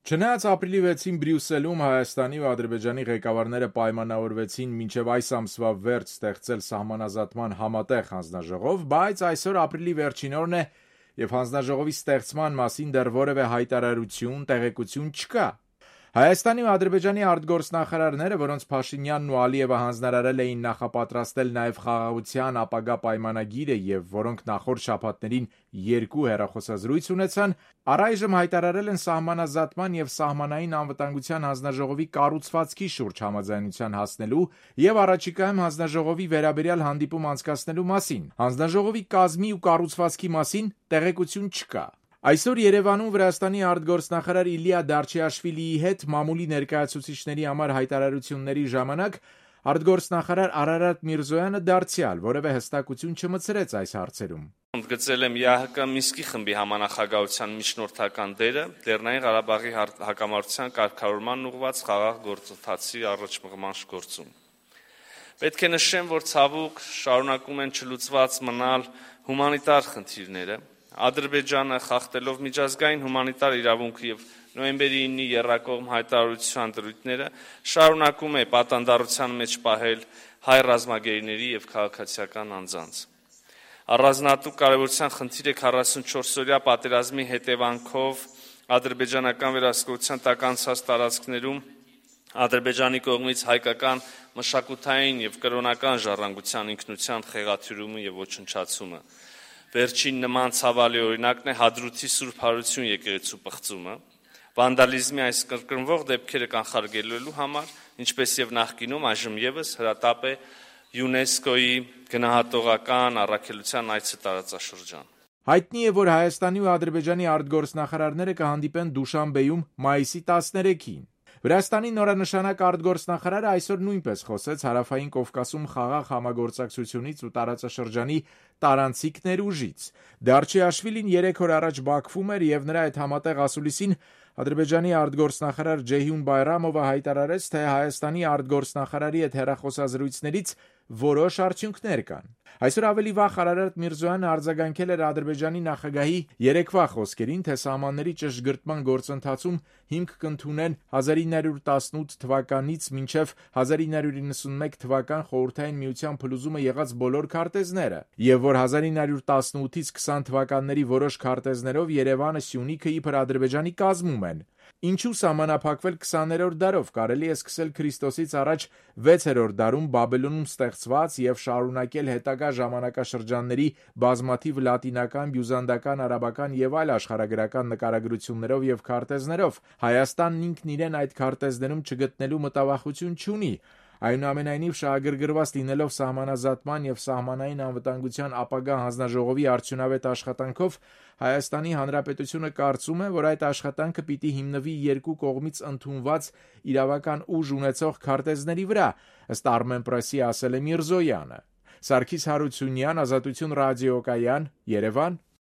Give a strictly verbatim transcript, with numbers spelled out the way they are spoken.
Չնայած ապրիլի վեցին Բրյուսելում Հայաստանի ու Ադրբեջանի ղեկավարները պայմանավորվեցին մինչև այս ամսվա վերջ ստեղծել սահմանազատման համատեղ հանձնաժողով, բայց այսօր ապրիլի վերջին օրն է և հանձնաժողովի ստեղծման մասին դեռ որևէ հայտարարություն, տեղեկություն չկա։ Հայաստանի ու Ադրբեջանի արտգործնախարարները, որոնց Փաշինյանն ու Ալիևը հանձնարարել էին նախապատրաստել նաև խաղաղության ապագա պայմանագիրը և որոնք նախորդ շաբաթներին երկու հեռախոսազրույց ունեցան, առայժմ հայտարարել են սահմանազատման և սահմանային անվտանգության հանձնաժողովի կառուցվածքի շուրջ համաձայնության հասնելու և առաջիկայում հանձնաժողովի վերաբերյալ հանդիպում անցկացնելու մասին։ Հանձնաժողովի կազմի ու կառուցվածքի մասին տեղեկություն չկա։ Այսօր Երևանում Վրաստանի արտգործնախարար Իլիա Դարչիաշվիլիի հետ մամուլի ներկայացուցիչների համար հայտարարությունների ժամանակ արտգործնախարար Արարատ Միրզոյանը դարձյալ որևէ հստակություն չմտցրեց այս հարցերում։ Ընդգծել եմ ԵԱՀԿ Մինսկի խմբի համանախագահության միջնորդական դերը Լեռնային Ղարաբաղի հակամարտության կարգավորման ուղղված խաղաղ գործընթացի առաջմղման գործում։ Պետք է նշեմ, որ ցավոք շարունակում են չլուծված մնալ հումանիտար խնդիրները։ Ադրբեջանը խախտելով միջազգային հումանիտար իրավունքը և նոյեմբերի իննի եռակողմ հայտարարության դրույթները շարունակում է պատանդառության մեջ պահել հայ ռազմագերիների և քաղաքացիական անձանց։ Առանձնահատուկ կարևորության խնդիր է քառասունչորսօրյա պատերազմի հետևանքով ադրբեջանական վերահսկողության տակ անցած տարածքներում Ադրբեջանի կողմից հայկական մշակութային և կրոնական ժառանգության ինքնության խեղաթյուրումը և ոչնչացումը։ Վերջին նման ցավալի օրինակն է Հադրութի Սուրբ Հարություն եկեղեցու պղծումը։ Վանդալիզմի այս կրկնվող դեպքերը կանխարգելելու համար, ինչպես և նախկինում, այժմ ևս հրատապ է ՅՈՒՆԵՍԿՕ-ի գնահատողական առաքելության այցը տարածաշրջան։ Հայտնի է, որ Հայաստանի ու Ադրբեջանի արտգործնախարարները կհանդիպեն Դուշանբեում մայիսի տասներեքին։ Վրաստանի նորանշանակ արտգործնախարարը այսօր նույնպես խոսեց Հարավային Կովկասում խաղաղ համագործակցությունից ու տարածաշրջանի տարանցիկ ներուժից։ Դարչիաշվիլին երեք օր առաջ Բաքվում էր և նրա այդ համատեղ ասուլիսին Ադրբեջանի արտգործնախարար Ջեյհուն Բայրամովը հայտարարեց, թե Հայաստանի արտգործնախարարի հետ հեռախոսազրույցներից որոշ արդյունքներ կան։ Այսօր ավելի վաղ Արարատ Միրզոյանը արձագանքել էր Ադրբեջանի նախագահի երեկվա խոսքերին, թե սահմանների ճշգրտման գործընթացում հիմք կընդունեն հազար ինը հարյուր տասնութ թվականից մինչև հազար ինը հարյուր նվաթ թվական Խորհրդային Միության փլուզումը եղած բոլոր քարտեզները, և որ հազար ինը հարյուր տասնութից քսան թվականների որոշ քարտեզներով Երևանը, Սյունիքը իբր Ադրբեջանի կազմում են։ Ինչու սահմանափակվել քսաներորդ դարով, կարելի է սկսել Քրիստոսից առաջ վեցերորդ դարում Բաբելոնում ստեղծված և շարունակել հետագա ժամանակաշրջանների բազմաթիվ լատինական, բյուզանդական, արաբական և այլ աշխարհագրական նկարագրություններով և քարտեզներով։ Հայաստանն ինքն իրեն այդ քարտեզներում չգտնելու մտավախություն չունի։ Այնուամենայնիվ, շահագրգռված լինելով սահմանազատման և սահմանային անվտանգության ապագա հանձնաժողովի արդյունավետ աշխատանքով, Հայաստանի Հանրապետությունը կարծում է, որ այդ աշխատանքը պիտի հիմնվի երկու կողմից ընդունված իրավական ուժ ունեցող քարտեզների վրա, ըստ Armenpress-ի ասել է Միրզոյանը։ Սարգիս Հարությունյան, Ազատություն ռադիոկայան, Երևան։